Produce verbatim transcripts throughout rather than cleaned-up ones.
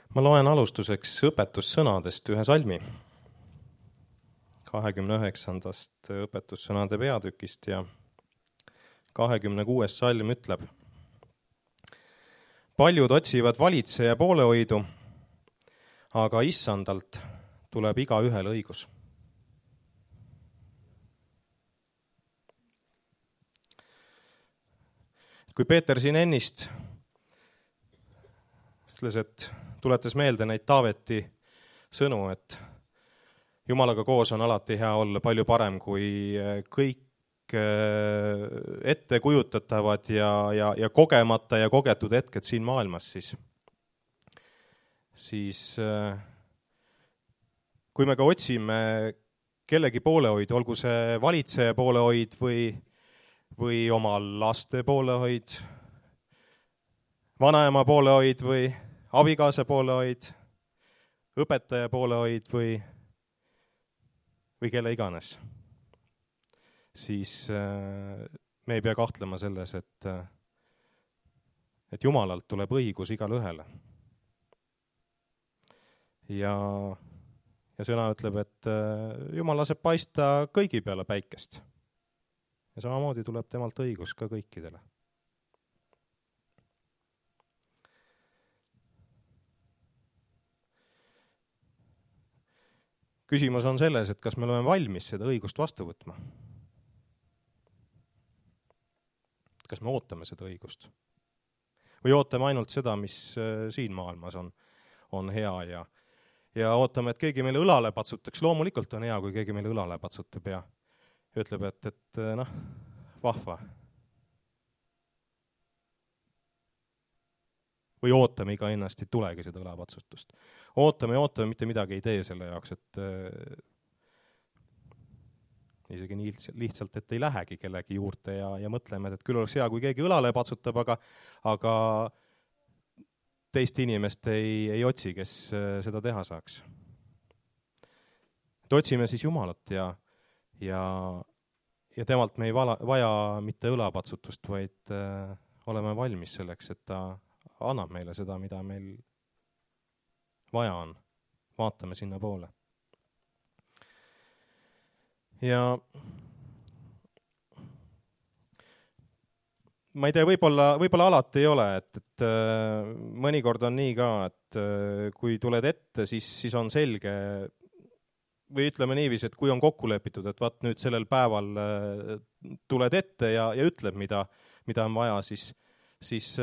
Ma loen alustuseks õpetussõnadest ühe salmi, kahekümne üheksandast õpetussõnade peatükist ja kahekümne kuues salm ütleb: Paljud otsivad valitseja poolehoidu, aga issandalt tuleb igaühel õigus. Kui Peeter siin ennist ütles, et tuletas meelde neid Taaveti sõnu, et Jumalaga koos on alati hea olla, palju parem kui kõik ette kujutatavad ja, ja, ja kogemata ja kogetud hetked siin maailmas, siis, siis kui me ka otsime kellegi poolehoid, olgu see valitseja poolehoid või, või oma laste poolehoid, vanaema poolehoid või abikaasa poolehoid, õpetaja poolehoid või, või kelle iganes, siis me ei pea kahtlema selles, et, et Jumalalt tuleb õigus igale ühele. Ja, ja sõna ütleb, et Jumal laseb paista kõigi peale päikest. Ja samamoodi tuleb temalt õigus ka kõikidele. Küsimus on selles, et kas me oleme valmis seda õigust vastu võtma. Kas me ootame seda õigust? Või ootame ainult seda, mis siin maailmas on, on hea ja, ja ootame, et keegi meile õlale patsutaks. Loomulikult on hea, kui keegi meile õlale patsutab ja ütleb, et, et noh, vahva. Või ootame iga ennast, ei tulegi seda õlapatsutust. Ootame ja ootame, mitte midagi ei tee selle jaoks, et äh, isegi nii lihtsalt, et ei lähegi kellegi juurde ja, ja mõtleme, et küll oleks hea, kui keegi õlale patsutab, aga, aga teist inimest ei, ei otsi, kes seda teha saaks. Et otsime siis Jumalat ja, ja, ja temalt me ei vala, vaja mitte õlapatsutust, vaid äh, oleme valmis selleks, et ta annab meile seda, mida meil vaja on. Vaatame sinna poole. Ja ma ei tea, võib-olla, võib-olla alati ei ole, et, et mõnikord on nii ka, et kui tuled ette, siis, siis on selge, või ütleme niiviisi, et kui on kokku lepitud, et vaat nüüd sellel päeval tuled ette ja, ja ütleb, mida, mida on vaja, siis, siis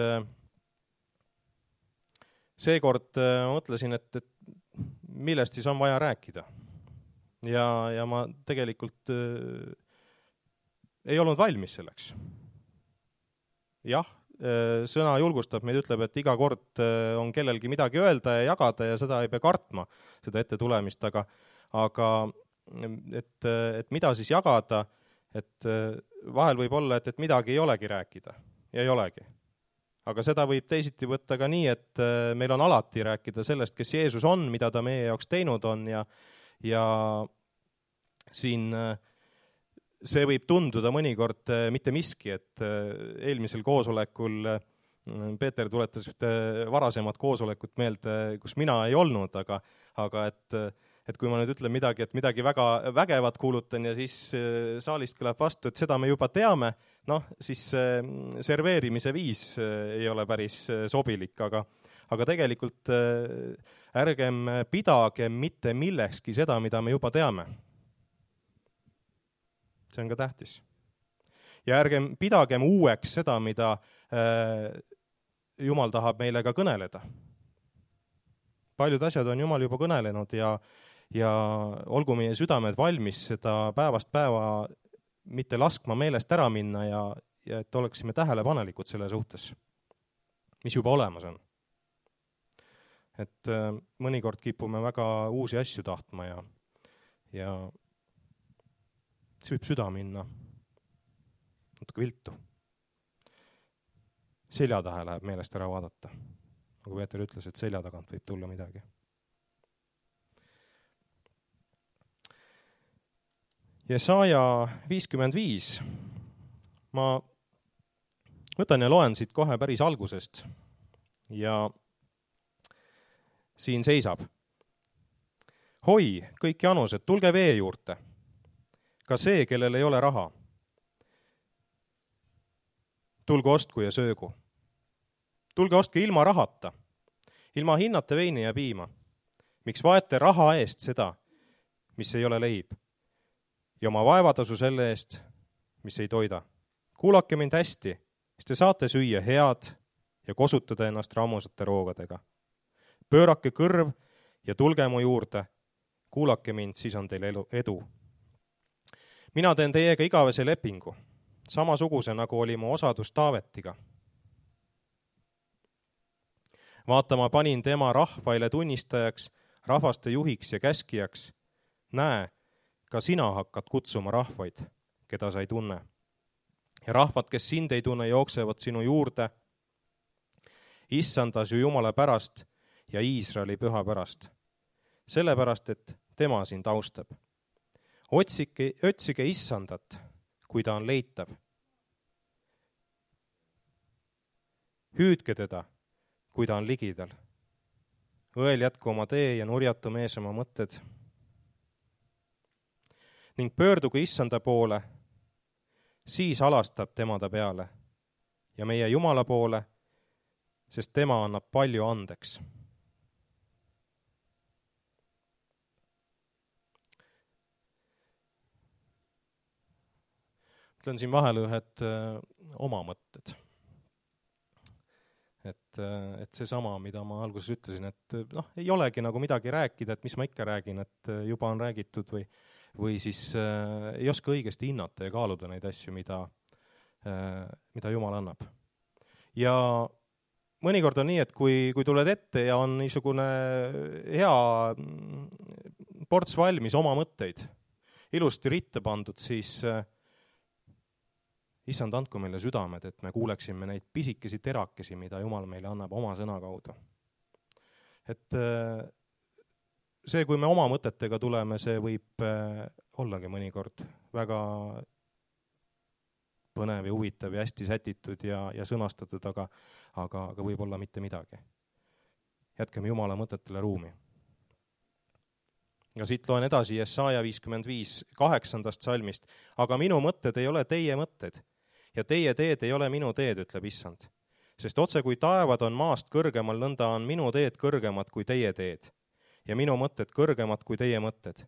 seekord mõtlesin, et, et millest siis on vaja rääkida. Ja, ja ma tegelikult äh, ei olnud valmis selleks. Jah, äh, sõna julgustab meid, ütleb, et iga kord äh, on kellelgi midagi öelda ja jagada ja seda ei pea kartma, seda ette tulemist, aga, aga et, et mida siis jagada, et äh, vahel võib olla, et, et midagi ei olegi rääkida ja ei olegi. Aga seda võib teisiti võtta ka nii, et meil on alati rääkida sellest, kes Jeesus on, mida ta meie jaoks teinud on ja, ja siin see võib tunduda mõnikord mitte miski, et eelmisel koosolekul Peeter tuletas varasemad koosolekut meelde, kus mina ei olnud, aga, aga et, et kui ma nüüd ütlen midagi, et midagi väga vägevat kuulutan ja siis saalist kõlab vastu, et seda me juba teame, noh, siis serveerimise viis ei ole päris sobilik, aga, aga tegelikult ärgem pidagem mitte millekski seda, mida me juba teame. See on ka tähtis. Ja ärgem pidagem uueks seda, mida Jumal tahab meile ka kõneleda. Paljud asjad on Jumal juba kõnelenud ja, ja olgu meie südamed valmis seda päevast päeva mitte laskma meelest ära minna ja, ja et oleksime tähelepanelikud selle suhtes, mis juba olemas on. Et äh, mõnikord kipume väga uusi asju tahtma ja, ja see võib süda minna natuke viltu. Selja taha läheb meelest ära vaadata. Nagu Peeter ütles, et selja tagant võib tulla midagi. Jesaja viiskümmend viis. Ma võtan ja loen siit kohe päris algusest. Ja siin seisab. Hoi, kõik janused, tulge vee juurde. Ka see, kellel ei ole raha. Tulge ostku ja söögu. Tulge ostke ilma rahata, ilma hinnata veini ja piima. Miks vaete raha eest seda, mis ei ole leib, ja oma vaevatasu selle eest, mis ei toida. Kuulake mind hästi, siis te saate süüa head ja kosutada ennast rammusate roogadega. Pöörake kõrv ja tulge mu juurde. Kuulake mind, siis on teil edu. Mina teen teiega igavese lepingu, samasuguse nagu oli mu osadus Taavetiga. Vaata, ma panin tema rahvaile tunnistajaks, rahvaste juhiks ja käskijaks. Näe, ka sina hakkad kutsuma rahvaid, keda sa ei tunne. Ja rahvad, kes sind ei tunne, jooksevad sinu juurde. Issandas ju Jumala pärast ja Iisraeli püha pärast. Sellepärast, et tema sind austab. Otsige, otsige Issandat, kui ta on leitav. Hüüdke teda, kui ta on ligidal. Õel jätku oma tee ja nurjatu mees oma mõtted. Ning pöörduge Issanda poole, siis alastab tema ta peale ja meie Jumala poole, sest tema annab palju andeks. Ütlen siin vahele ühed öö, oma mõtted. Et, et see sama, mida ma alguses ütlesin, et noh, ei olegi nagu midagi rääkida, et mis ma ikka räägin, et juba on räägitud või, või siis äh, ei oska õigesti hinnata ja kaaluda neid asju, mida, äh, mida Jumal annab. Ja mõnikord on nii, et kui, kui tuled ette ja on niisugune hea ports valmis oma mõtteid, ilusti ritta pandud, siis äh, Issand, andku meile südamed, et me kuuleksime neid pisikesi terakesi, mida Jumal meile annab oma sõna kaudu. Et see, kui me oma mõtetega tuleme, see võib ollagi mõnikord väga põnev ja huvitav ja hästi sätitud ja, ja sõnastatud, aga, aga, aga võib olla mitte midagi. Jätkeme Jumala mõtetele ruumi. Ja siit loen edasi Jesaja viiskümmend viis kaheksandast salmist. Aga minu mõtted ei ole teie mõtted. Ja teie teed ei ole minu teed, ütleb Issand. Sest otse kui taevad on maast kõrgemal, nõnda on minu teed kõrgemad kui teie teed. Ja minu mõtted kõrgemad kui teie mõtted.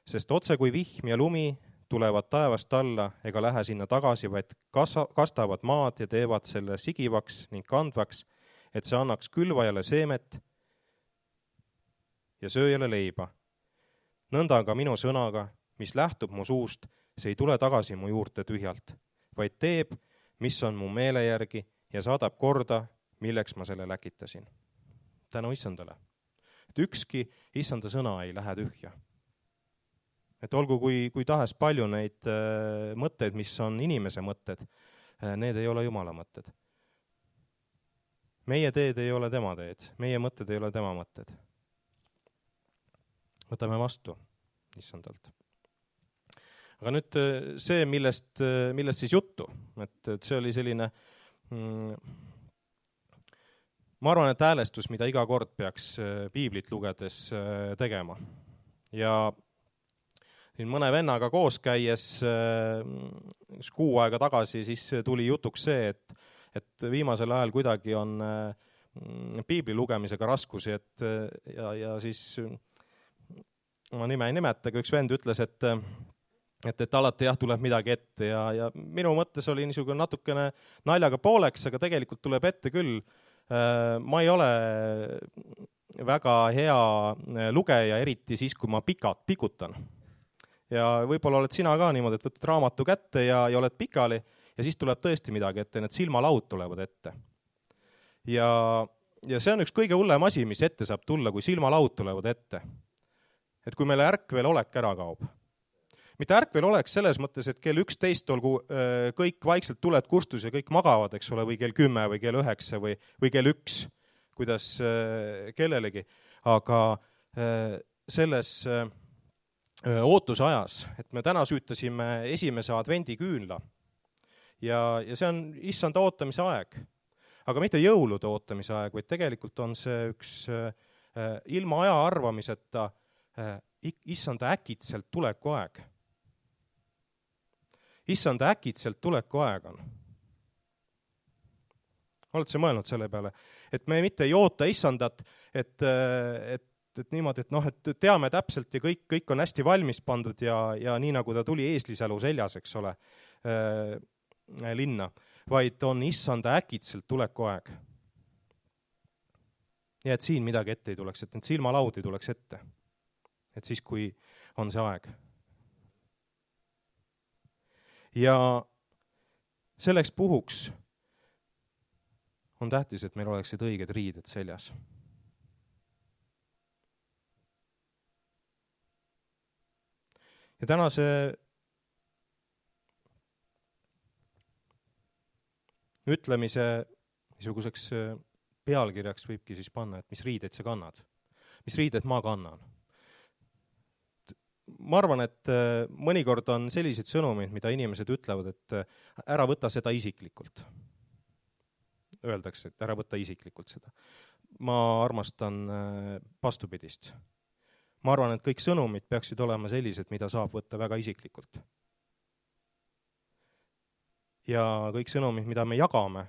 Sest otse kui vihm ja lumi tulevad taevast alla ega lähe sinna tagasi, vaid kastavad maad ja teevad selle sigivaks ning kandvaks, et see annaks külvajale seemet ja sööjale leiba. Nõnda ka minu sõnaga, mis lähtub mu suust, see ei tule tagasi mu juurde tühjalt, vaid teeb, mis on mu meele järgi ja saadab korda, milleks ma selle läkitasin. Tänu Issandale. Et ükski Issanda sõna ei lähe tühja. Et olgu kui, kui tahes palju neid äh, mõtteid, mis on inimese mõtted, äh, need ei ole Jumala mõtted. Meie teed ei ole tema teed, meie mõtted ei ole tema mõtted. Võtame vastu Issandalt. Aga nüüd see, millest, millest siis juttu, et, et see oli selline, mm, ma arvan, et häälestus, mida iga kord peaks piiblit lugedes tegema. Ja siin mõne vennaga koos käies kuu aega tagasi siis tuli jutuks see, et, et viimasel ajal kuidagi on piibli lugemisega raskusi, et, ja, ja siis ma nime ei nimeta, aga üks vend ütles, et Et, et alati jah, tuleb midagi ette ja, ja minu mõttes oli niisugune natukene naljaga pooleks, aga tegelikult tuleb ette küll. Ma ei ole väga hea lugeja, eriti siis, kui ma pikalt pikutan. Ja võib-olla oled sina ka niimoodi, et võtad raamatu kätte ja, ja oled pikali ja siis tuleb tõesti midagi ette, need silmalaud tulevad ette. Ja, ja see on üks kõige hullem asi, mis ette saab tulla, kui silmalaud tulevad ette. Et kui meile ärkvel olek ära kaob. Mitte ärkvel oleks selles mõttes, et kell üksteist olgu kõik vaikselt tuled kustus ja kõik magavad, eks ole, või kell kümme või kell üheksa või, või kell üks, kuidas kellelegi. Aga selles ootuse ajas, et me täna süütasime esimese advendi küünla ja, ja see on Issanda ootamise aeg. Aga mitte jõulude ootamise aeg, vaid tegelikult on see üks ilma aja arvamiseta issanda äkitselt tuleku aeg. Issanda äkitselt tuleku aeg on. Oled sa mõelnud selle peale? Et me mitte ei oota issandat, et, et, et niimoodi, et noh, et teame täpselt ja kõik, kõik on hästi valmis pandud ja, ja nii nagu ta tuli eeslisälu seljas, eks ole, äh, linna, vaid on issanda äkitselt tuleku aeg. Ja et siin midagi ette ei tuleks, et need silmalaud ei tuleks ette. Et siis, kui on see aeg. Ja selleks puhuks on tähtis, et meil oleksid õiged riided seljas. Ja tänase ütlemise niisuguseks pealkirjaks võibki siis panna, et mis riideid sa kannad. Mis riided ma kannan. Ma arvan, et mõnikord on sellised sõnumid, mida inimesed ütlevad, et ära võta seda isiklikult. Öeldakse, et ära võta isiklikult seda. Ma armastan vastupidist. Ma arvan, et kõik sõnumid peaksid olema sellised, mida saab võtta väga isiklikult. Ja kõik sõnumid, mida me jagame,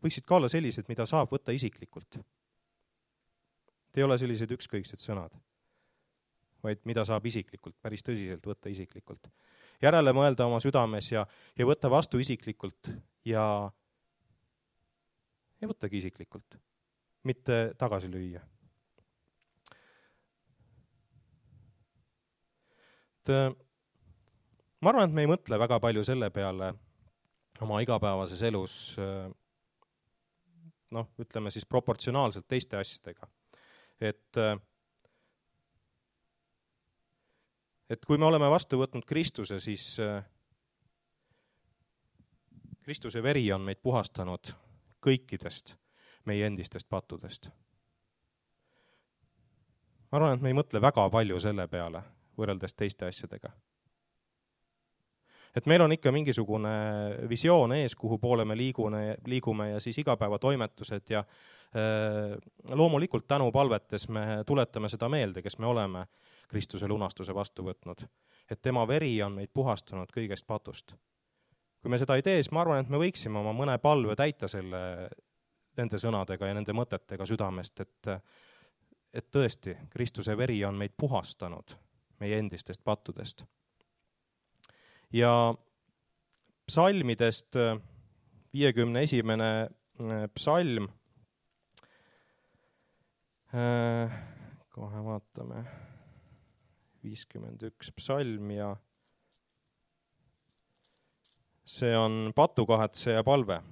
võiksid ka olla sellised, mida saab võtta isiklikult. Te ei ole sellised ükskõiksed sõnad, vaid mida saab isiklikult, päris tõsiselt võtta isiklikult. Järele mõelda oma südames ja, ja võtta vastu isiklikult ja, ja võttagi isiklikult, mitte tagasi lüüa. Et, ma arvan, et me ei mõtle väga palju selle peale oma igapäevases elus, noh, ütleme siis proportsionaalselt teiste asjadega. Et, et kui me oleme vastu võtnud Kristuse, siis Kristuse veri on meid puhastanud kõikidest meie endistest pattudest. Ma arvan, et me ei mõtle väga palju selle peale, võrreldes teiste asjadega. Et meil on ikka mingisugune visioon ees, kuhu poole me liigune, liigume ja siis igapäevatoimetused ja äh, loomulikult tänu palvetes me tuletame seda meelde, kes me oleme Kristuse lunastuse vastu võtnud. Et tema veri on meid puhastanud kõigest patust. Kui me seda ei tee, siis ma arvan, et me võiksime oma mõne palve täita selle, nende sõnadega ja nende mõtetega südamest, et, et tõesti, Kristuse veri on meid puhastanud meie endistest pattudest. Ja psalmidest viiekümne esimene psalm, kohe vaatame, viiskümmend üks psalm ja see on patukahetseja palve.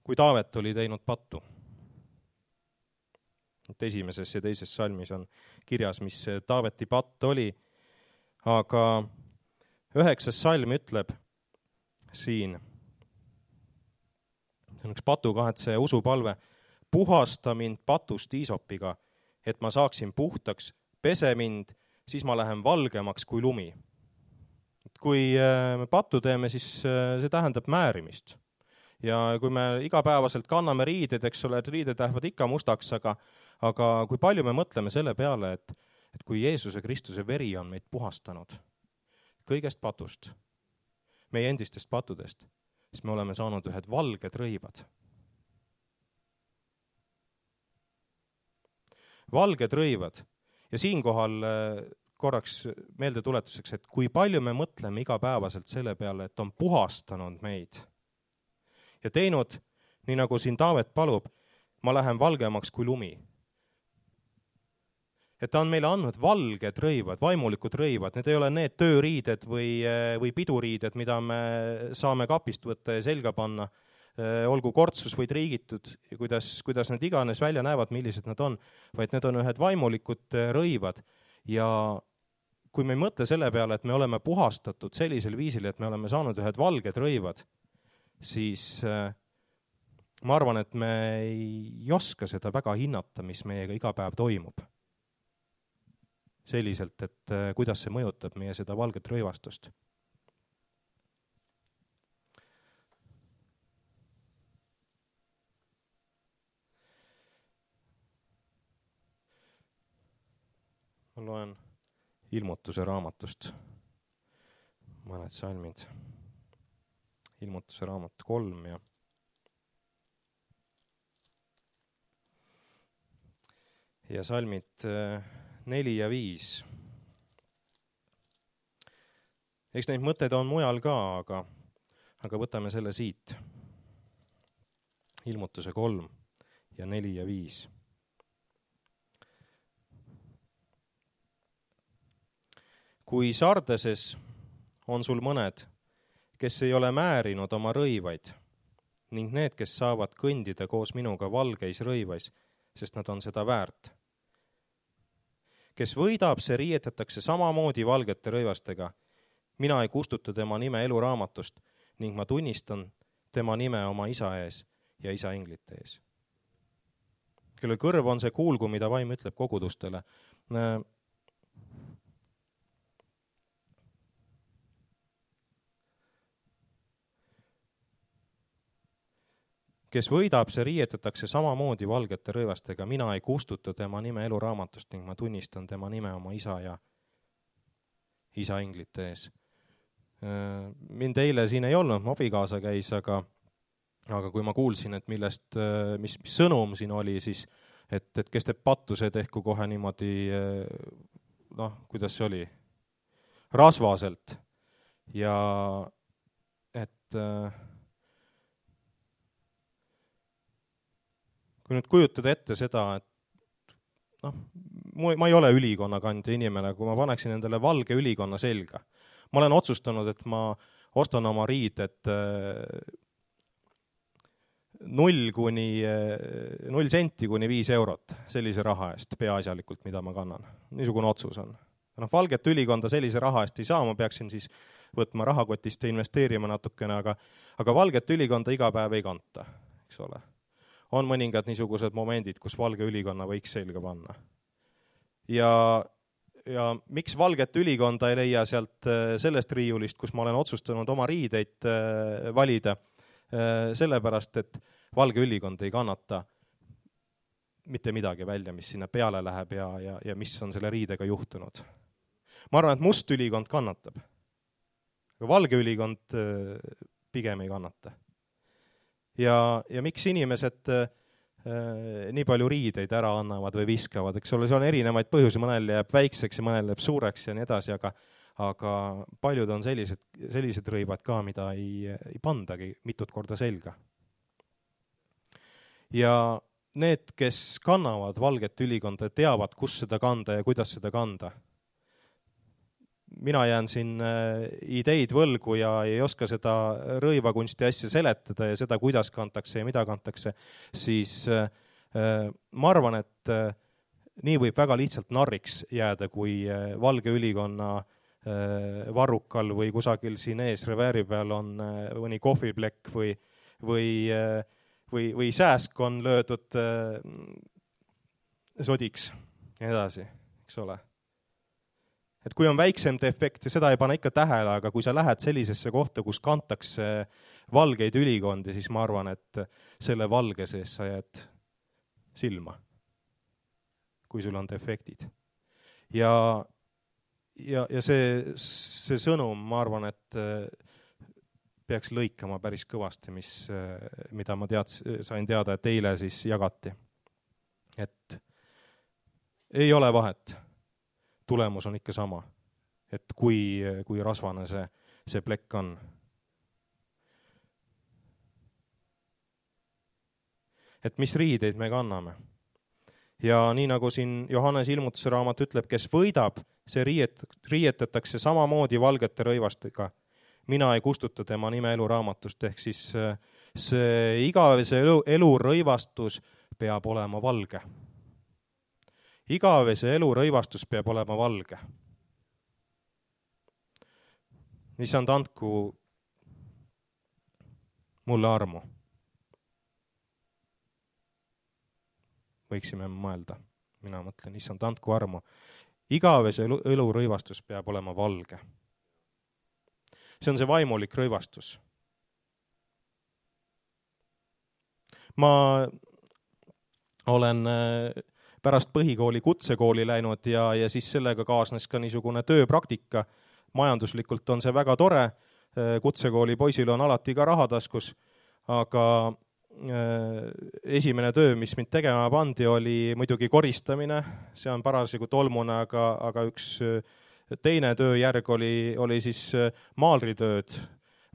Kui Taavet oli teinud pattu. Et esimeses ja teises salmis on kirjas, mis Taaveti patt oli, aga üheksas salm ütleb siin, see on üks patukahetseja usupalve, puhasta mind patust iisopiga, et ma saaksin puhtaks, pese mind, siis ma lähen valgemaks kui lumi. Kui me pattu teeme, siis see tähendab määrimist. Ja kui me igapäevaselt kanname riided, eks ole, et riided lähevad ikka mustaks, aga, aga kui palju me mõtleme selle peale, et, et kui Jeesuse Kristuse veri on meid puhastanud kõigest patust, meie endistest pattudest, siis me oleme saanud ühed valged rõivad. Valged rõivad. Ja siinkohal korraks meelde tuletuseks, et kui palju me mõtleme igapäevaselt selle peale, et on puhastanud meid ja teinud, nii nagu siin Taavet palub, ma lähen valgemaks kui lumi. Et ta on meile andnud valged rõivad, vaimulikud rõivad, need ei ole need tööriided või, või piduriided, mida me saame kapist võtta ja selga panna, olgu kortsus või triigitud, kuidas, kuidas need iganes välja näevad, millised nad on, vaid need on ühed vaimulikud rõivad. Ja kui me ei mõtle selle peale, et me oleme puhastatud sellisel viisil, et me oleme saanud ühed valged rõivad, siis ma arvan, et me ei oska seda väga hinnata, mis meiega iga päev toimub. Selliselt, et kuidas see mõjutab meie seda valget rõivastust. loen Ilmutuse raamatust mõned salmid. Ilmutuse raamat kolm ja ja salmid neli ja viis. Eks neid mõtteid on mujal ka, aga, aga võtame selle siit. Ilmutuse kolm ja neli ja viis. Kui Sardeses on sul mõned, kes ei ole määrinud oma rõivaid, ning need, kes saavad kõndida koos minuga valgeis rõivais, sest nad on seda väärt. Kes võidab, see riietatakse samamoodi valgete rõivastega. Mina ei kustuta tema nime eluraamatust ning ma tunnistan tema nime oma isa ees ja isa inglite ees. Kellel kõrv on see kuulgu, mida vaim ütleb kogudustele. Kes võidab, see riietatakse samamoodi valgete rõivastega. Mina ei kustuta tema nime eluraamatust ning ma tunnistan tema nime oma isa ja isa inglite ees. Mind eile siin ei olnud, mu abikaasa käis, aga, aga kui ma kuulsin, et millest, mis, mis sõnum siin oli, siis et, et kes teeb patuse, tehku kohe niimoodi, noh, kuidas see oli, rasvaselt. Ja et kui nüüd kujutada ette seda, et noh, ma ei ole ülikonna kandja inimene, kui ma paneksin endale valge ülikonna selga. Ma olen otsustanud, et ma ostan oma riided null kuni null senti kuni viis eurot sellise raha eest peaasjalikult, mida ma kannan. Niisugune otsus on. No, valget ülikonda sellise raha eest ei saa, ma peaksin siis võtma rahakotist ja investeerima natukene, aga, aga valget ülikonda iga päev ei kanta, eks ole. On mõningad niisugused momendid, kus valge ülikonna võiks selga panna. Ja, ja miks valget ülikonda ei leia sealt sellest riiulist, kus ma olen otsustanud oma riideid valida, sellepärast, et valge ülikond ei kannata mitte midagi välja, mis sinna peale läheb ja, ja, ja mis on selle riidega juhtunud. Ma arvan, et must ülikond kannatab, aga valge ülikond pigem ei kannata. Ja, ja miks inimesed äh, nii palju riideid ära annavad või viskavad, eks ole, see on erinevaid põhjusi, mõnel jääb väikseks ja mõnel jääb suureks ja nii edasi, aga, aga paljud on sellised, sellised rõivad ka, mida ei, ei pandagi mitut korda selga. Ja need, kes kannavad valget ülikonda, teavad, kus seda kanda ja kuidas seda kanda. Mina jään siin ideid võlgu ja ei oska seda rõivakunsti asja seletada ja seda, kuidas kantakse ja mida kantakse, siis ma arvan, et nii võib väga lihtsalt narriks jääda, kui valge ülikonna varrukal või kusagil siin ees revääri peal on mõni kohviplekk või, või, või, või sääsk on löödud sodiks ja edasi, eks ole. Et kui on väiksem defekt, ja seda ei pane ikka tähele, aga kui sa lähed sellisesse kohta, kus kantakse valgeid ülikondi, siis ma arvan, et selle valge sees sa jääd silma, kui sul on defektid. Ja, ja, ja see, see sõnum, ma arvan, et peaks lõikama päris kõvasti, mis, mida ma tead, sain teada, et eile siis jagati. Et ei ole vahet. Tulemus on ikka sama, et kui, kui rasvane see, see plekk on. Et mis riideid me kanname. Ja nii nagu siin Johannes Ilmutuse raamat ütleb, kes võidab, see riiet, riietatakse samamoodi valgete rõivastega. Mina ei kustuta tema nime eluraamatust, ehk siis see igavese elu, elurõivastus peab olema valge. Igavese elu rõivastus peab olema valge. Issand, andku mulle armu. Võiksime mõelda. Mina mõtlen, issand, andku armu. Igavese elu, elu rõivastus peab olema valge. See on see vaimulik rõivastus. Ma olen pärast põhikooli kutsekooli läinud ja, ja siis sellega kaasnes ka niisugune tööpraktika. Majanduslikult on see väga tore, kutsekooli poisil on alati ka rahataskus, aga esimene töö, mis mind tegema pandi, oli muidugi koristamine, see on parasjagu tolmune, aga, aga üks teine tööjärg oli, oli siis maalritööd,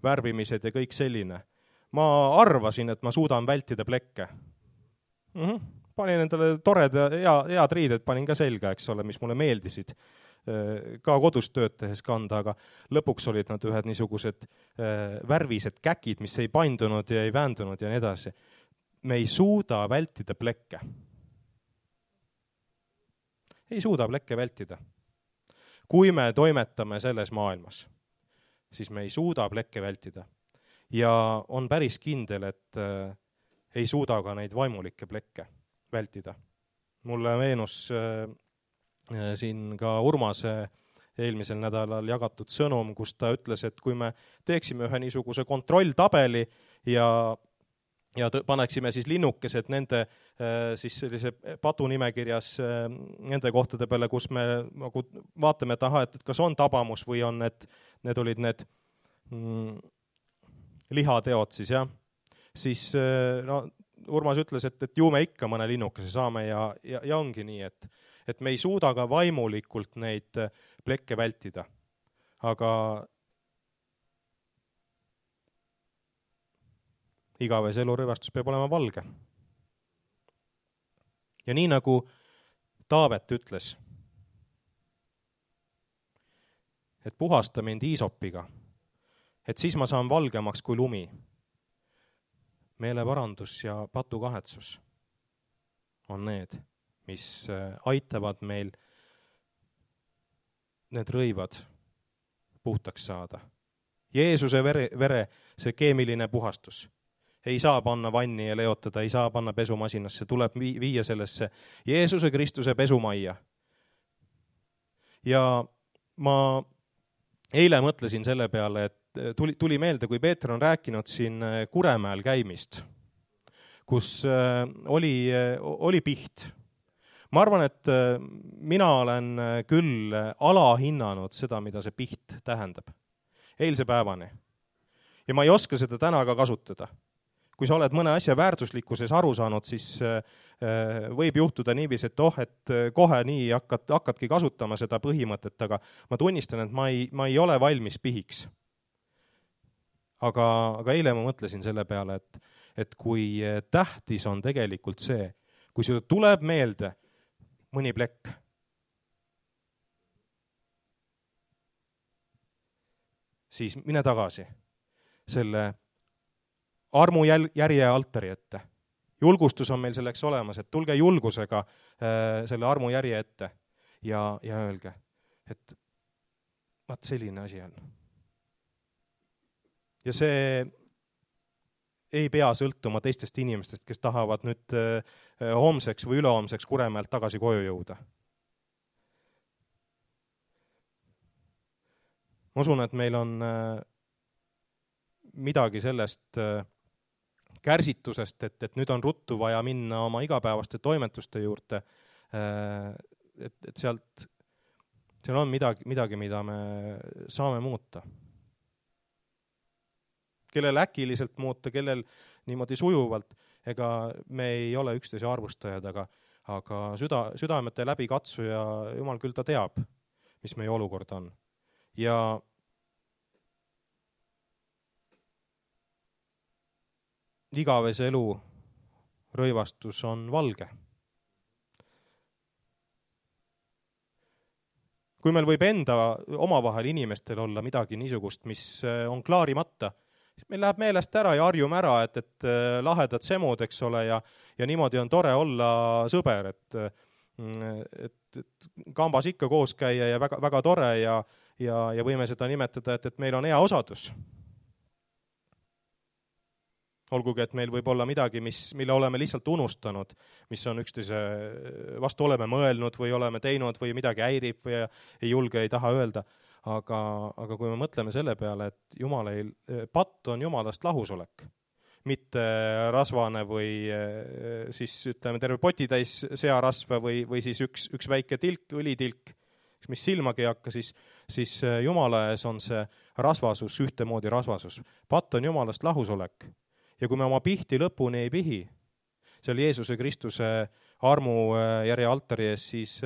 värvimised ja kõik selline. Ma arvasin, et ma suudan vältida plekke. Mm-hmm. Panin endale tored ja hea, head riided, panin ka selga, eks ole, mis mulle meeldisid ka kodus tööd tehes kanda, aga lõpuks olid nad ühed niisugused värvised käkid, mis ei paindunud ja ei väändunud ja nii edasi. Me ei suuda vältida plekke. Ei suuda plekke vältida. Kui me toimetame selles maailmas, siis me ei suuda plekke vältida. Ja on päris kindel, et ei suuda ka neid vaimulikke plekke vältida. Mulle meenus siin ka Urmase eelmisel nädalal jagatud sõnum, kus ta ütles, et kui me teeksime ühe niisuguse kontrolltabeli ja, ja paneksime siis linnukesed nende siis sellise patunimekirjas nende kohtade peale, kus me nagu vaatame, et aha, et kas on tabamus või on need, need olid need mm, lihateod siis, jah. Siis no, Urmas ütles, et, et ju me ikka mõne linnukese saame ja, ja, ja ongi nii, et et me ei suuda ka vaimulikult neid plekke vältida. Aga igavese elurõivastus peab olema valge. Ja nii nagu Taavet ütles, et puhasta mind iisopiga, et siis ma saan valgemaks kui lumi. Meeleparandus ja patukahetsus on need, mis aitavad meil need rõivad puhtaks saada. Jeesuse vere, vere, see keemiline puhastus. Ei saa panna vanni ja leotada, ei saa panna pesumasinasse, tuleb viia sellesse Jeesuse Kristuse pesumajja. Ja ma eile mõtlesin selle peale, et tuli, tuli meelde, kui Peeter on rääkinud siin Kuremäel käimist, kus oli, oli piht. Ma arvan, et mina olen küll alahinnanud seda, mida see piht tähendab. Eilse päevani. Ja ma ei oska seda täna ka kasutada. Kui sa oled mõne asja väärtuslikkuses aru saanud, siis võib juhtuda niivis, et oh, et kohe nii hakkad, hakkadki kasutama seda põhimõtet, aga ma tunnistan, et ma ei, ma ei ole valmis pihiks. Aga, aga eile ma mõtlesin selle peale, et, et kui tähtis on tegelikult see, kui sulle tuleb meelde mõni plekk. Siis mine tagasi selle armu järje altari ette. Julgustus on meil selleks olemas, et tulge julgusega äh, selle armu järje ette ja, ja öelge, et vaat selline asi on. Ja see ei pea sõltuma teistest inimestest, kes tahavad nüüd homseks või ülehomseks Kuremäelt tagasi koju jõuda. Ma usun, et meil on midagi sellest kärsitusest, et, et nüüd on ruttu vaja minna oma igapäevaste toimetuste juurde, et, et sealt, seal on midagi, midagi, mida me saame muuta. Kellel äkiliselt muuta, kellel niimoodi sujuvalt, ega me ei ole üksteise arvustajad, aga, aga süda, südamete läbi katsu ja Jumal küll ta teab, mis meie olukord on. Ja igavese elu rõivastus on valge. Kui meil võib enda omavahel inimestel olla midagi niisugust, mis on klaarimata, meil läheb meelest ära ja harjume ära, et, et lahedad semud, eks ole, ja, ja niimoodi on tore olla sõber, et, et, et kambas ikka koos käia ja väga, väga tore ja, ja, ja võime seda nimetada, et, et meil on hea osadus. Olgugi, et meil võib olla midagi, mis, mille oleme lihtsalt unustanud, mis on üksteise vastu oleme mõelnud või oleme teinud või midagi häirib või ei julge, ei taha öelda. Aga, aga kui me mõtleme selle peale, et Jumal ei, patt on Jumalast lahusolek, mitte rasvane või siis ütleme terve potitäis searasva või, või siis üks, üks väike tilk, õlitilk, mis silmagi ei hakka, siis, siis Jumala ees on see rasvasus, ühtemoodi rasvasus. Patt on Jumalast lahusolek. Ja kui me oma pihti lõpuni ei pihi, seal Jeesuse Kristuse armu järje altari ees, siis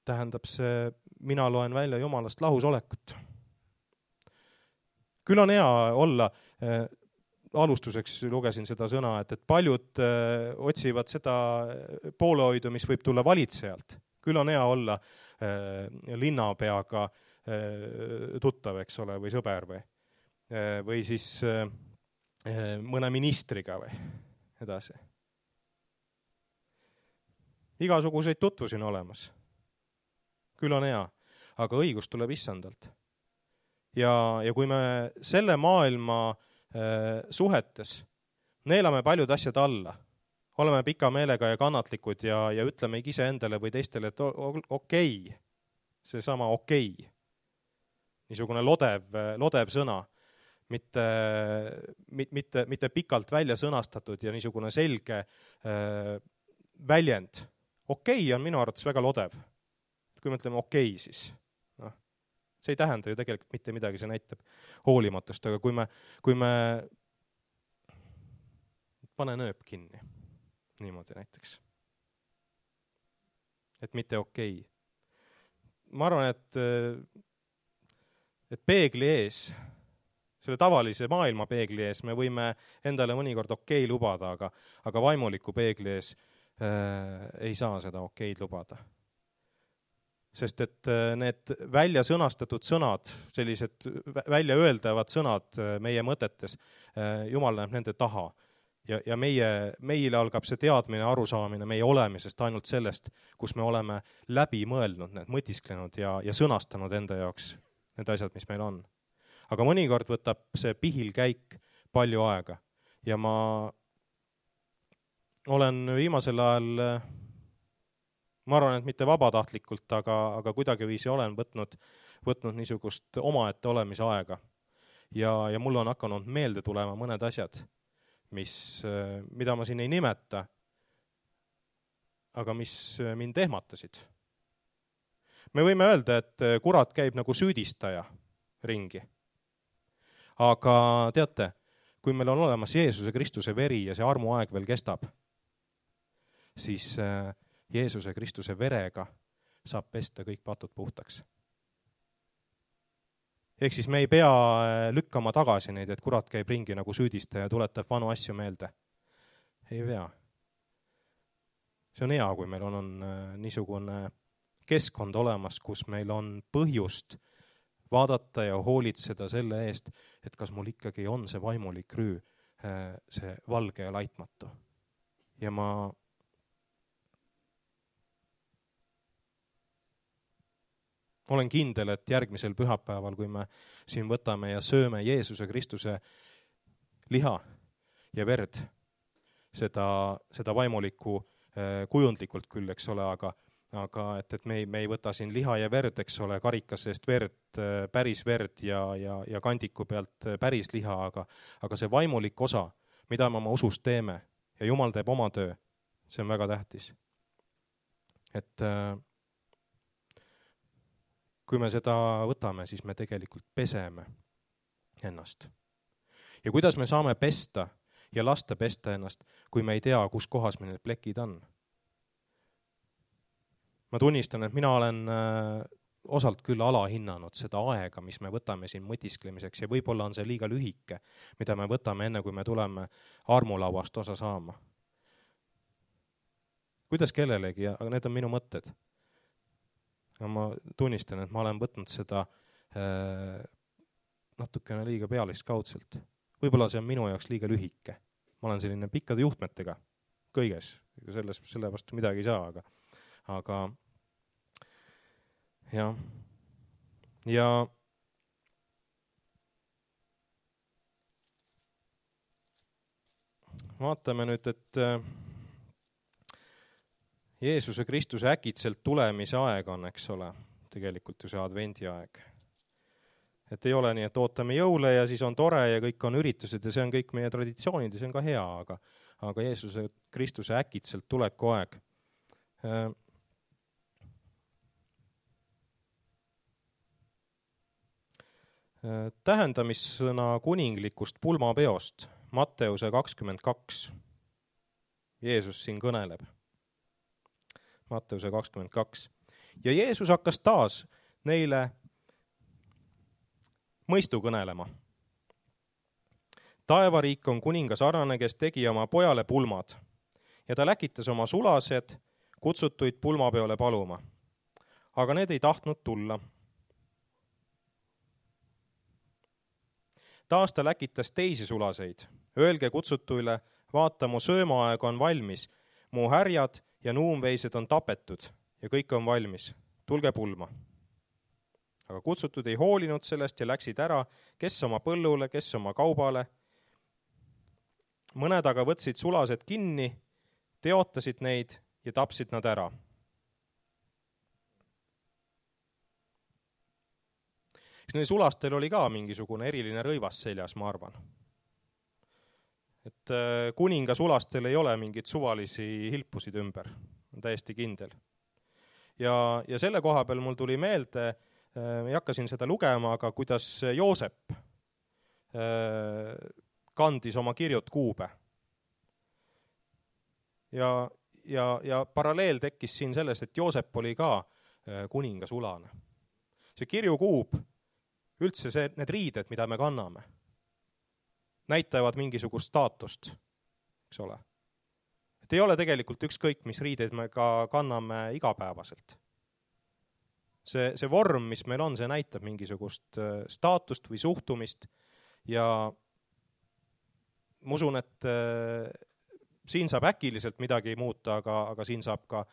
tähendab see, mina loen välja Jumalast lahusolekut. Küll on hea olla, äh, alustuseks lugesin seda sõna, et, et paljud äh, otsivad seda poolehoidu, mis võib tulla valitsejalt. Küll on hea olla äh, linnapeaga äh, tuttav, eks ole, või sõber või, äh, või siis äh, mõne ministriga või edasi. Igasuguseid tutvusi on olemas. Küll on hea, aga õigus tuleb issandalt. Ja, ja kui me selle maailma äh, suhetes neelame paljud asjad alla, oleme pika meelega ja kannatlikud ja, ja ütleme ise endale või teistele, et okei, okay, seesama okei, okay. Niisugune lodev, lodev sõna, mitte, mitte, mitte pikalt välja sõnastatud ja niisugune selge äh, väljend. Okei okay on minu arvates väga lodev. Kui me ütleme okei okay, siis see ei tähenda ju tegelikult mitte midagi, see näitab hoolimatust, aga kui me, kui me pane nööp kinni, niimoodi näiteks, et mitte okei. Ma arvan, et, et peegli ees, selle tavalise maailma peegli ees me võime endale mõnikord okei lubada, aga, aga vaimuliku peegli ees äh, ei saa seda okeid lubada. Sest et need välja sõnastatud sõnad, sellised välja öeldavad sõnad meie mõtetes, Jumal näeb nende taha. Ja, ja meie, meile algab see teadmine, arusaamine meie olemisest ainult sellest, kus me oleme läbi mõelnud, need mõtisklenud ja, ja sõnastanud enda jaoks need asjad, mis meil on. Aga mõnikord võtab see pihilkäik palju aega. Ja ma olen viimasel ajal... Ma arvan, et mitte vabatahtlikult, aga, aga kuidagi viisi olen võtnud, võtnud niisugust omaette olemise aega. Ja, ja mul on hakanud meelde tulema mõned asjad, mis, mida ma siin ei nimeta, aga mis mind ehmatasid. Me võime öelda, et kurat käib nagu süüdistaja ringi. Aga teate, kui meil on olemas Jeesuse Kristuse veri ja see armuaeg veel kestab, siis... Jeesuse Kristuse verega saab pesta kõik patud puhtaks. Ehk siis me ei pea lükkama tagasi neid, et kurat käib ringi nagu süüdistaja ja tuletab vanu asju meelde. Ei pea. See on hea, kui meil on, on niisugune keskkond olemas, kus meil on põhjust vaadata ja hoolitseda selle eest, et kas mul ikkagi on see vaimulik rüü, see valge ja laitmatu. Ja ma olen kindel, et järgmisel pühapäeval, kui me siin võtame ja sööme Jeesuse Kristuse liha ja verd, seda, seda vaimulikku kujundlikult küll, eks ole, aga, aga et, et me, ei, me ei võta siin liha ja verd, eks ole, karikas seest verd, päris verd ja, ja, ja kandiku pealt päris liha, aga, aga see vaimulik osa, mida me oma usus teeme ja Jumal teeb oma töö, see on väga tähtis. Et kui me seda võtame, siis me tegelikult peseme ennast. Ja kuidas me saame pesta ja lasta pesta ennast, kui me ei tea, kus kohas meil need plekid on? Ma tunnistan, et mina olen osalt küll alahinnanud seda aega, mis me võtame siin mõtisklemiseks ja võib-olla on see liiga lühike, mida me võtame enne, kui me tuleme armulauast osa saama. Kuidas kellelegi, aga need on minu mõtted. Ma tunnistan, et ma olen võtnud seda äh, natukene liiga pealiskaudselt. Võib-olla see on minu jaoks liiga lühike. Ma olen selline pikkade juhtmetega kõiges. Selles, selle vastu midagi ei saa, aga, aga jah. Ja vaatame nüüd, et äh, Jeesuse Kristuse äkitselt tulemise aeg on, eks ole, tegelikult ju see advendi aeg. et ei ole nii, et ootame jõule ja siis on tore ja kõik on üritused ja see on kõik meie traditsioonid ja see on ka hea, aga, aga Jeesuse Kristuse äkitselt tuleku aeg. Tähendamissõna kuninglikust pulmapeost, Matteuse kakskümmend kaks. Jeesus siin kõneleb. Matteuse kakskümmend kaks. Ja Jeesus hakkas taas neile mõistu kõnelema. Taevariik on kuninga sarnane, kes tegi oma pojale pulmad ja ta läkitas oma sulased kutsutuid pulmapeole paluma. Aga need ei tahtnud tulla. Taas ta läkitas teisi sulaseid. Öelge kutsutuile, vaata, mu söömaaeg on valmis, mu härjad ja nuumveised on tapetud ja kõik on valmis. Tulge pulma. Aga kutsutud ei hoolinud sellest ja läksid ära, kes oma põllule, kes oma kaubale. Mõned aga võtsid sulased kinni, teotasid neid ja tapsid nad ära. Eks neil sulastel oli ka mingisugune eriline rõivas seljas, ma arvan. Et kuninga sulastel ei ole mingit suvalisi hilpusid ümber, on täiesti kindel. Ja, ja selle koha peal mul tuli meelde, ei hakka siin seda lugema, aga kuidas Joosep kandis oma kirjut kuube. Ja, ja, ja paralleel tekkis siin sellest, et Joosep oli ka kuninga sulane. See kirjukuub, üldse see, need riided, mida me kanname, näitavad mingisugust staatust, eks ole. Et ei ole tegelikult ükskõik, mis riideid me ka kanname igapäevaselt. See, see vorm, mis meil on, see näitab mingisugust staatust või suhtumist ja ma usun, et siin saab äkiliselt midagi muuta, aga, aga siin saab ka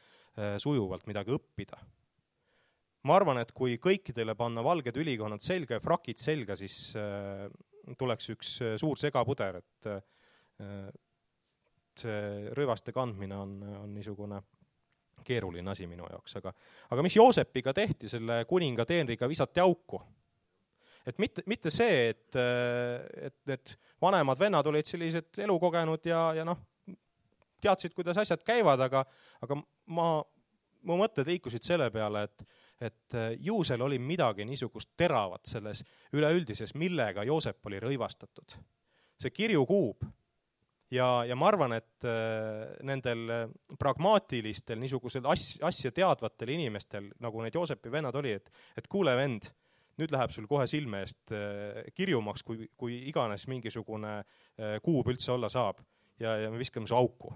sujuvalt midagi õppida. Ma arvan, et kui kõikidele panna valged ülikonnad selga ja frakid selga, siis tuleks üks suur segapuder, et see rõivaste kandmine on, on niisugune keeruline asi minu jaoks. Aga, aga mis Joosepiga tehti, selle kuninga teenriga visati auku. Et mitte, mitte see, et, et, et vanemad vennad olid sellised elukogenud ja, ja noh, teadsid, kuidas asjad käivad, aga, aga ma, mu mõtted liikusid selle peale, et et ju seal oli midagi niisugust teravat selles üleüldises, millega Joosep oli rõivastatud. See kirjukuub ja, ja ma arvan, et nendel pragmaatilistel, niisugusel asja teadvatel inimestel, nagu need Joosepi vennad oli, et, et kuule vend, nüüd läheb sul kohe silme eest kirjumaks, kui, kui iganes mingisugune kuub üldse olla saab ja, ja me viskame su auku.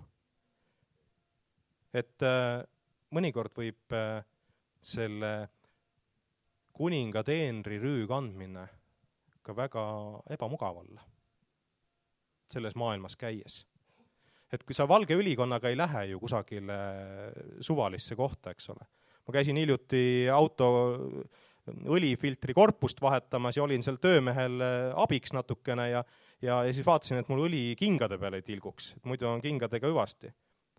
Et mõnikord võib selle kuninga teenri rüü kandmine ka väga ebamugav olla selles maailmas käies. Et kui sa valge ülikonnaga ei lähe ju kusagile suvalisse kohta, eks ole. Ma käisin hiljuti auto õlifiltri korpust vahetamas ja olin seal töömehel abiks natukene ja, ja, ja siis vaatasin, et mul õli kingade peale ei tilguks, et muidu on kingadega hüvasti,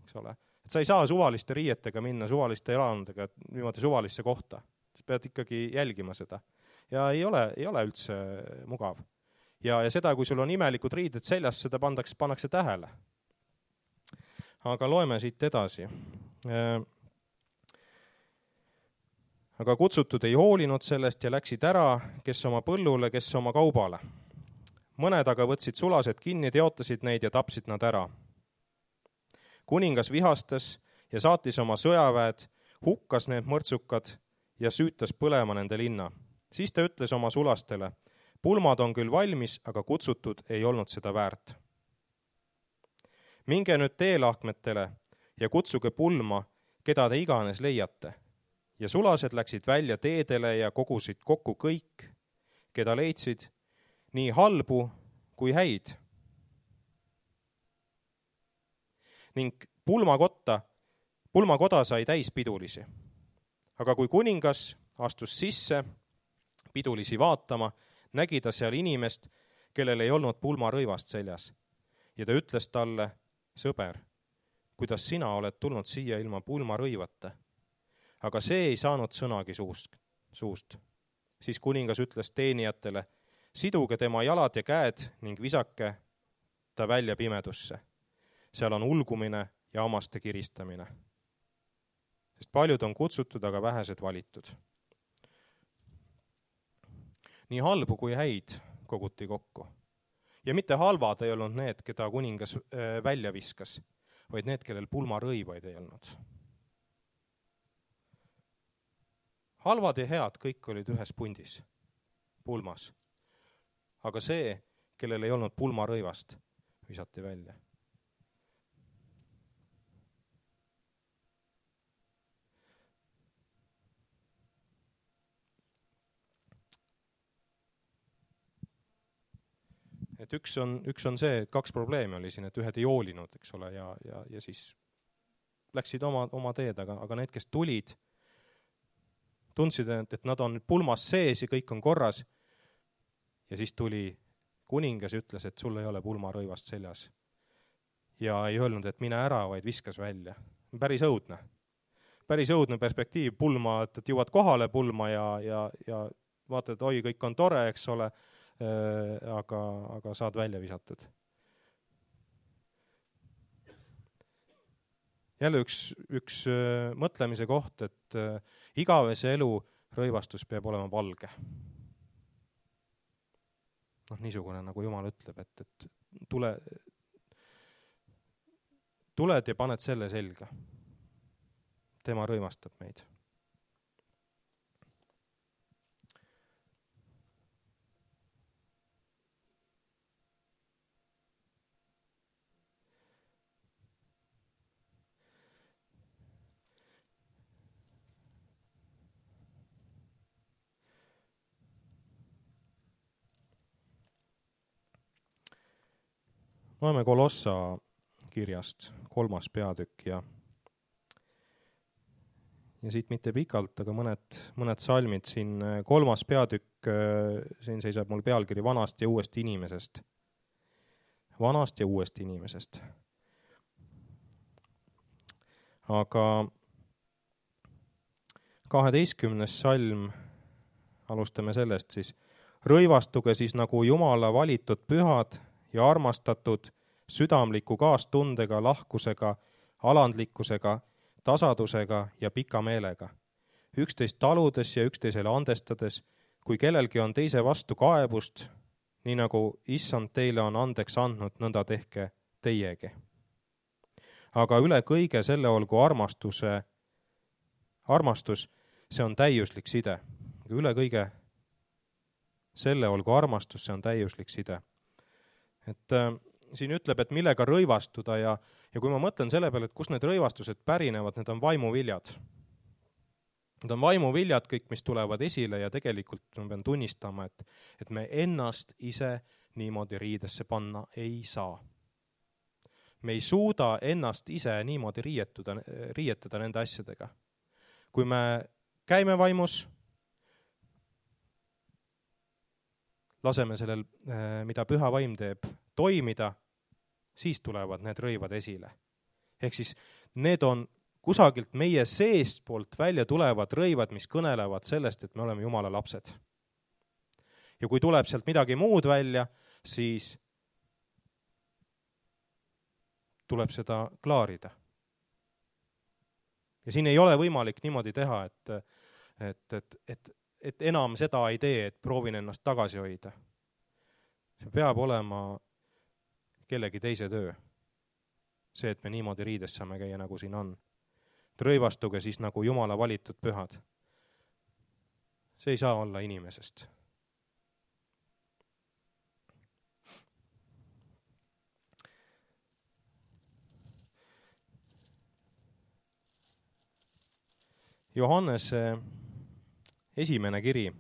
eks ole. Et sa ei saa suvaliste riietega minna, suvaliste elanudega niimoodi suvalisse kohta. Sa pead ikkagi jälgima seda. Ja ei ole, ei ole üldse mugav. Ja, ja seda, kui sul on imelikud riided seljas, seda pandaks, pannakse tähele. Aga loeme siit edasi. Aga kutsutud ei hoolinud sellest ja läksid ära, kes oma põllule, kes oma kaubale. Mõned aga võtsid sulased kinni, teotasid neid ja tapsid nad ära. Kuningas vihastas ja saatis oma sõjaväed, hukkas need mõrtsukad ja süütas põlema nende linna. Siis ta ütles oma sulastele, pulmad on küll valmis, aga kutsutud ei olnud seda väärt. Minge nüüd teelahkmetele ja kutsuge pulma, keda te iganes leiate. Ja sulased läksid välja teedele ja kogusid kokku kõik, keda leidsid, nii halbu kui häid. Ning pulmakotta, pulmakoda sai täis pidulisi. Aga kui kuningas astus sisse pidulisi vaatama, nägi ta seal inimest, kellel ei olnud pulmarõivast seljas. Ja ta ütles talle, sõber, kuidas sina oled tulnud siia ilma pulmarõivata? Aga see ei saanud sõnagi suust. suust. Siis kuningas ütles teenijatele, siduge tema jalad ja käed ning visake ta välja pimedusse. Seal on ulgumine ja hammaste kiristamine. Sest paljud on kutsutud, aga vähesed valitud. Nii halbu kui häid koguti kokku. Ja mitte halvad ei olnud need, keda kuningas välja viskas, vaid need, kellel pulmarõivaid ei olnud. Halvad ja head kõik olid ühes pundis, pulmas. Aga see, kellel ei olnud pulmarõivast, visati välja. Et üks on, üks on see, et kaks probleemi oli siin, et ühed ei hoolinud, eks ole, ja, ja, ja siis läksid oma, oma teed, aga, aga need, kes tulid, tundsid, et nad on pulmas sees ja kõik on korras. Ja siis tuli kuningas ja ütles, et sul ei ole pulmarõivast seljas. Ja ei öelnud, et mine ära, vaid viskas välja. Päris õudne. Päris õudne perspektiiv, pulma, et jõuad kohale pulma ja, ja, ja vaatad, et oi, kõik on tore, eks ole, aga, aga saad välja visatud. Jälle üks, üks mõtlemise koht, et igavese elu rõivastus peab olema valge. noh, niisugune, nagu Jumal ütleb, et, et tule, tuled ja paned selle selga. Tema rõivastab meid. Loeme Kolossa kirjast kolmas peatükk ja, ja siit mitte pikalt, aga mõned, mõned salmid siin. Kolmas peatükk, siin seisab mul pealkiri vanast ja uuest inimesest. Vanast ja uuest inimesest. Aga kaheteistkümnes salm, alustame sellest siis. Rõivastuge siis nagu Jumala valitud pühad ja armastatud südamliku kaastundega, lahkusega, alandlikkusega, tasadusega ja pika meelega. Üksteist taludes ja üksteisele andestades, kui kellelgi on teise vastu kaebust, nii nagu Issand teile on andeks andnud, nõnda tehke teiegi. Aga üle kõige selle olgu armastuse, armastus, see on täiuslik side. Üle kõige selle olgu armastus, see on täiuslik side. Et äh, siin ütleb, et millega rõivastuda ja, ja kui ma mõtlen selle peale, et kus need rõivastused pärinevad, need on vaimuviljad. Need on vaimuviljad kõik, mis tulevad esile ja tegelikult ma pean tunnistama, et, et me ennast ise niimoodi riidesse panna ei saa. Me ei suuda ennast ise niimoodi riietuda, riietada nende asjadega. Kui me käime vaimus, laseme sellel, mida püha vaim teeb, toimida, siis tulevad need rõivad esile. Ehk siis need on kusagilt meie seest poolt välja tulevad rõivad, mis kõnelevad sellest, et me oleme Jumala lapsed. Ja kui tuleb sealt midagi muud välja, siis tuleb seda klaarida. Ja siin ei ole võimalik niimoodi teha, et, et, et, et et enam seda ei tee, et proovin ennast tagasi hoida. See peab olema kellegi teise töö. See, et me niimoodi riides saame käia, nagu siin on. Rõivastuge siis nagu Jumala valitud pühad. See ei saa olla inimesest. Johannese esimene kiri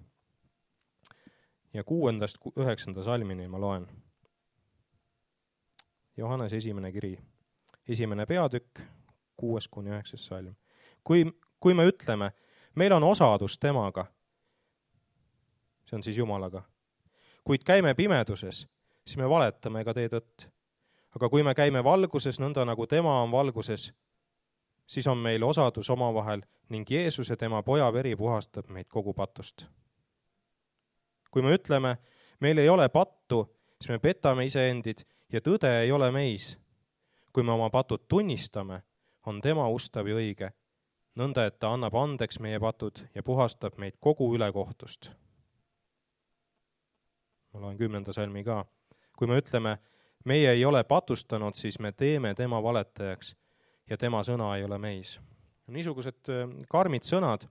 ja kuuendast üheksanda salmini ma loen. Johannese esimene kiri, esimene peatükk, kuues kuni üheksas salm. Kui, kui me ütleme, meil on osadus temaga, see on siis Jumalaga, kuid käime pimeduses, siis me valetame ega tee tõtt. Aga kui me käime valguses, nõnda nagu tema on valguses, siis on meil osadus omavahel ning Jeesuse tema poja veri puhastab meid kogu patust. kui me ütleme, meil ei ole pattu, siis me petame iseendid ja tõde ei ole meis. Kui me oma patud tunnistame, on tema ustav ja õige, nõnda, et ta annab andeks meie patud ja puhastab meid kogu ülekohtust. Ma loen kümnenda salmi ka. Kui me ütleme, meie ei ole patustanud, siis me teeme tema valetajaks ja tema sõna ei ole meis. Niisugused karmid sõnad,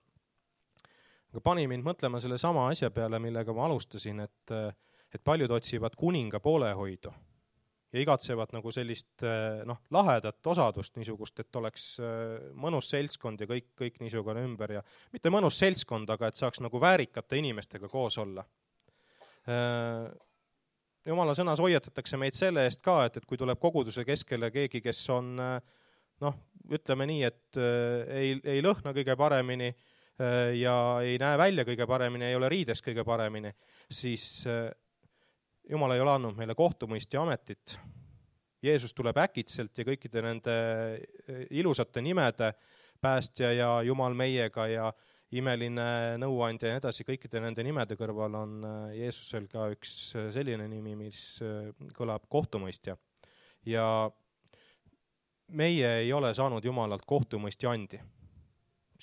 aga pani mind mõtlema selle sama asja peale, millega ma alustasin, et, et paljud otsivad kuninga poolehoidu ja igatsevad nagu sellist noh, lahedat osadust niisugust, et oleks mõnus seltskond ja kõik, kõik niisugune ümber ja mitte mõnus seltskond, aga et saaks nagu väärikate inimestega koos olla. Jumala sõnas hoiatatakse meid selle eest ka, et, et kui tuleb koguduse keskele keegi, kes on noh, ütleme nii, et ei, ei lõhna kõige paremini ja ei näe välja kõige paremini, ei ole riides kõige paremini, siis Jumal ei ole andnud meile kohtumõistja ametit. Jeesus tuleb äkitselt ja kõikide nende ilusate nimede päästja ja Jumal meiega ja imeline nõuandja ja edasi, kõikide nende nimede kõrval on Jeesusel ka üks selline nimi, mis kõlab kohtumõistja. Ja meie ei ole saanud Jumalalt kohtumõistja andi.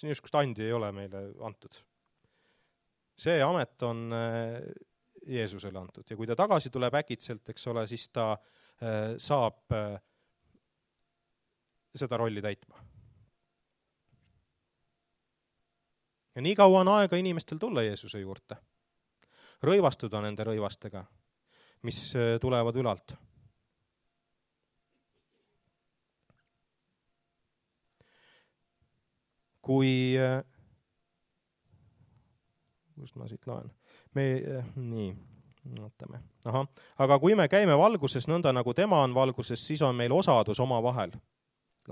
Niisugust andi ei ole meile antud. See amet on Jeesusele antud ja kui ta tagasi tuleb äkitselt, eks ole, siis ta saab seda rolli täitma. Ja nii kaua on aega inimestel tulla Jeesuse juurde. Rõivastuda nende rõivastega, mis tulevad ülalt. Kui, kust ma siit loen? Me, nii, ootame. Aha. Aga kui me käime valguses nõnda, nagu tema on valguses, siis on meil osadus oma vahel.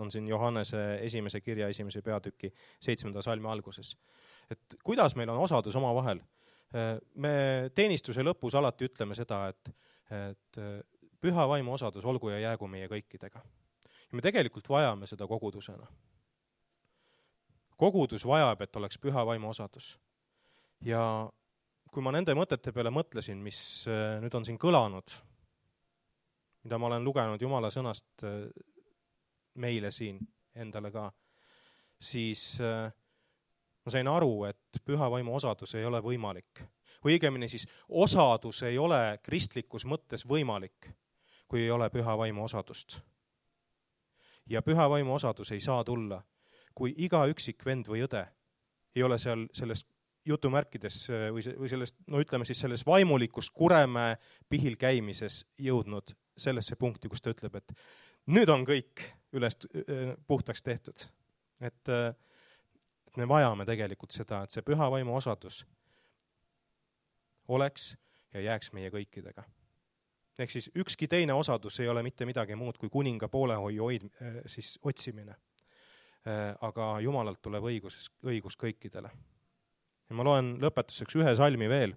On siin Johannese esimese kirja esimese peatüki seitsmenda salmi alguses. Et kuidas meil on osadus oma vahel? Me teenistuse lõpus alati ütleme seda, et, et püha vaimu osadus olgu ja jäägu meie kõikidega. Ja me tegelikult vajame seda kogudusena. Kogudus vajab, et oleks püha vaimu osadus. Ja kui ma nende mõtete peale mõtlesin, mis nüüd on siin kõlanud, mida ma olen lugenud Jumala sõnast meile siin endale ka, siis ma sain aru, et püha vaimu osadus ei ole võimalik. Või õigemini siis osadus ei ole kristlikus mõttes võimalik, kui ei ole püha vaimu osadust. Ja püha vaimu osadus ei saa tulla, kui iga üksik vend või õde ei ole seal sellest jutumärkides või sellest, no ütleme siis selles vaimulikust Kuremäe pihil käimises jõudnud sellesse punkti, kus ta ütleb, et nüüd on kõik üles puhtaks tehtud. Et, et me vajame tegelikult seda, et see püha vaimu osadus oleks ja jääks meie kõikidega. Ehk siis ükski teine osadus ei ole mitte midagi muud kui kuninga poolehoiu hoid, siis otsimine. Aga Jumalalt tuleb õigus, õigus kõikidele. Ja ma loen lõpetuseks ühe salmi veel.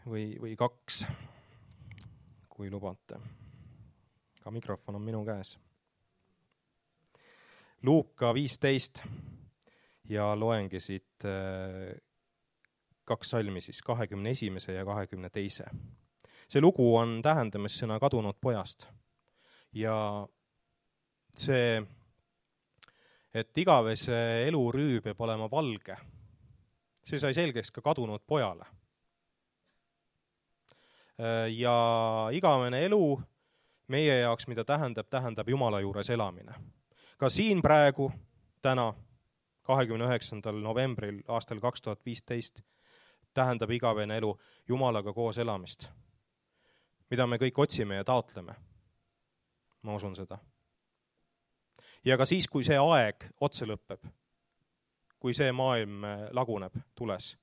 Või, või kaks, kui lubate. Ka mikrofon on minu käes. Luuka viisteist ja loengi siit kaks salmi siis kahekümne esimese ja kahekümne teise. See lugu on tähendamissõna kadunud pojast. Ja see, et igavese elurüü peab olema valge, see sai selgeks ka kadunud pojale. Ja igavene elu meie jaoks, mida tähendab, tähendab Jumala juures elamine. Ka siin praegu, täna, kahekümne üheksandal novembril aastal kaks tuhat viisteist, tähendab igavene elu Jumalaga koos elamist, mida me kõik otsime ja taotleme. Ma usun seda. Ja ka siis, kui see aeg otse lõpeb, kui see maailm laguneb tules,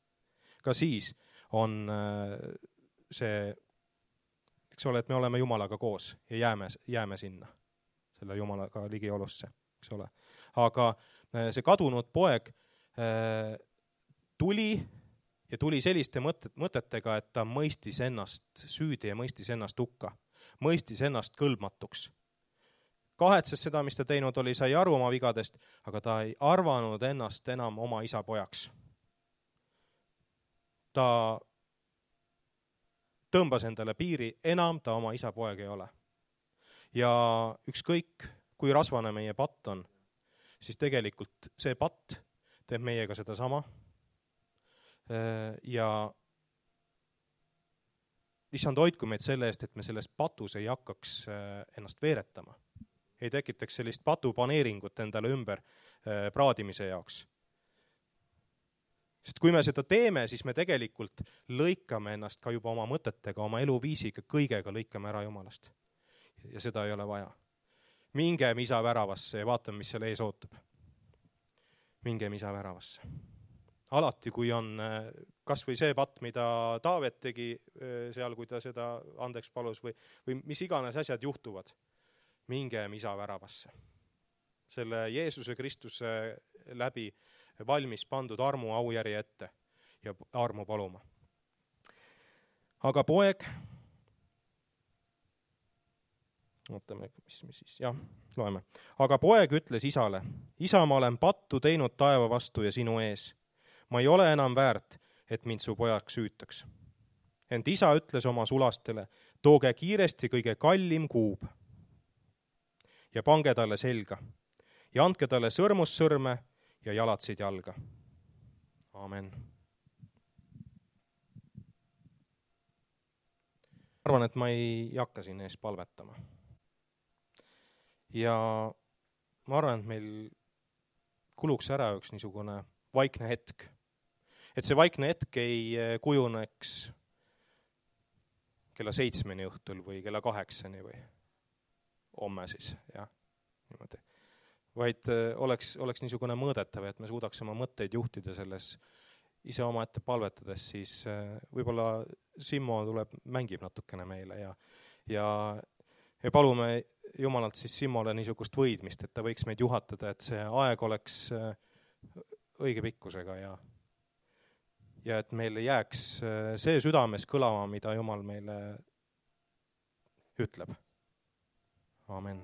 ka siis on see, eks ole, et me oleme Jumalaga koos ja jääme, jääme sinna, selle Jumalaga ligiolusse, eks ole. Aga see kadunud poeg tuli ja tuli selliste mõtetega, et ta mõistis ennast süüdi ja mõistis ennast hukka, mõistis ennast kõlbmatuks. kahetses seda, mis ta teinud oli, sai aru oma vigadest, aga ta ei arvanud ennast enam oma isa pojaks. Ta tõmbas endale piiri, enam ta oma isa poeg ei ole. Ja ükskõik, kui rasvane meie patt on, siis tegelikult see patt teeb meiega seda sama. Ja issand hoidku meid selle eest, et me selles patus ei hakkaks ennast veeretama. Ei tekitaks sellist patupaneeringut endale ümber praadimise jaoks. Sest kui me seda teeme, siis me tegelikult lõikame ennast ka juba oma mõtetega, oma eluviisiga, kõigega lõikame ära Jumalast. Ja seda ei ole vaja. Mingem isa väravasse ja vaatame, mis seal ees ootab. Mingem isa väravasse. Alati, kui on kas või see patt, mida Taavet tegi seal, kui ta seda andeks palus või, või mis iganes asjad juhtuvad, mingem isa väravasse. Selle Jeesuse Kristuse läbi valmis pandud armu aujärje ette ja armu paluma. Aga poeg, ootame, mis me siis, jah, loeme. Aga poeg ütles isale, isa, ma olen pattu teinud taeva vastu ja sinu ees. Ma ei ole enam väärt, et mind su pojaks süütaks. Ent isa ütles oma sulastele, tooge kiiresti kõige kallim kuub ja pange talle selga ja andke talle sõrmussõrme ja jalatsid jalga. Amen. Arvan, et ma ei hakka siin ees palvetama. Ja ma arvan, et meil kuluks ära üks niisugune vaikne hetk. Et see vaikne hetk ei kujuneks kella seitsmeni õhtul või kella kaheksani või homme siis, jah, niimoodi. Vaid oleks, oleks niisugune mõõdetav, et me suudaks oma mõtteid juhtida selles ise oma ette palvetades, siis võib-olla Simmo tuleb, mängib natukene meile ja, ja, ja palume Jumalalt siis Simmole niisugust võidmist, et ta võiks meid juhatada, et see aeg oleks õige pikkusega ja, ja et meil jääks see südames kõlama, mida Jumal meile ütleb. Amen.